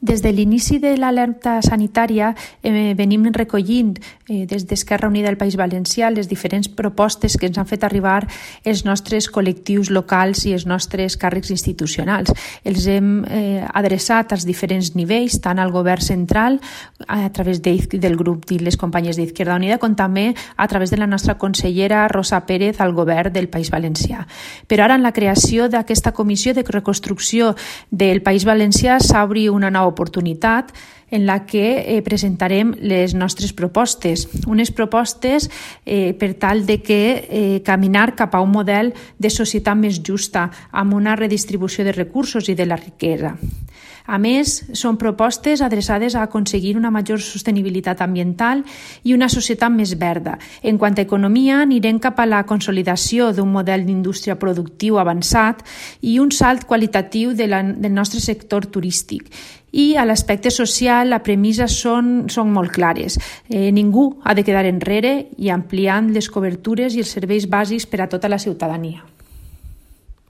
Des de l'inici de l'alerta sanitària venim recollint des d'Esquerra Unida del País Valencià les diferents propostes que ens han fet arribar els nostres col·lectius locals i els nostres càrrecs institucionals. Els hem adreçat als diferents nivells, tant al govern central, a través del grup de les companyes d'Izquierda Unida, com també a través de la nostra consellera Rosa Pérez al govern del País Valencià. Però ara, en la creació d'aquesta comissió de reconstrucció del País Valencià, s'obre una nova oportunitat en la que presentarem les nostres propostes. Unes propostes per tal de que caminar cap a un model de societat més justa, amb una redistribució de recursos i de la riquesa. A més, són propostes adreçades a aconseguir una major sostenibilitat ambiental i una societat més verda. En quant a economia, anirem cap a la consolidació d'un model d'indústria productiu avançat i un salt qualitatiu del nostre sector turístic. I a l'aspecte social, la premissa són molt clares. Ningú ha de quedar enrere i ampliant les cobertures i els serveis bàsics per a tota la ciutadania.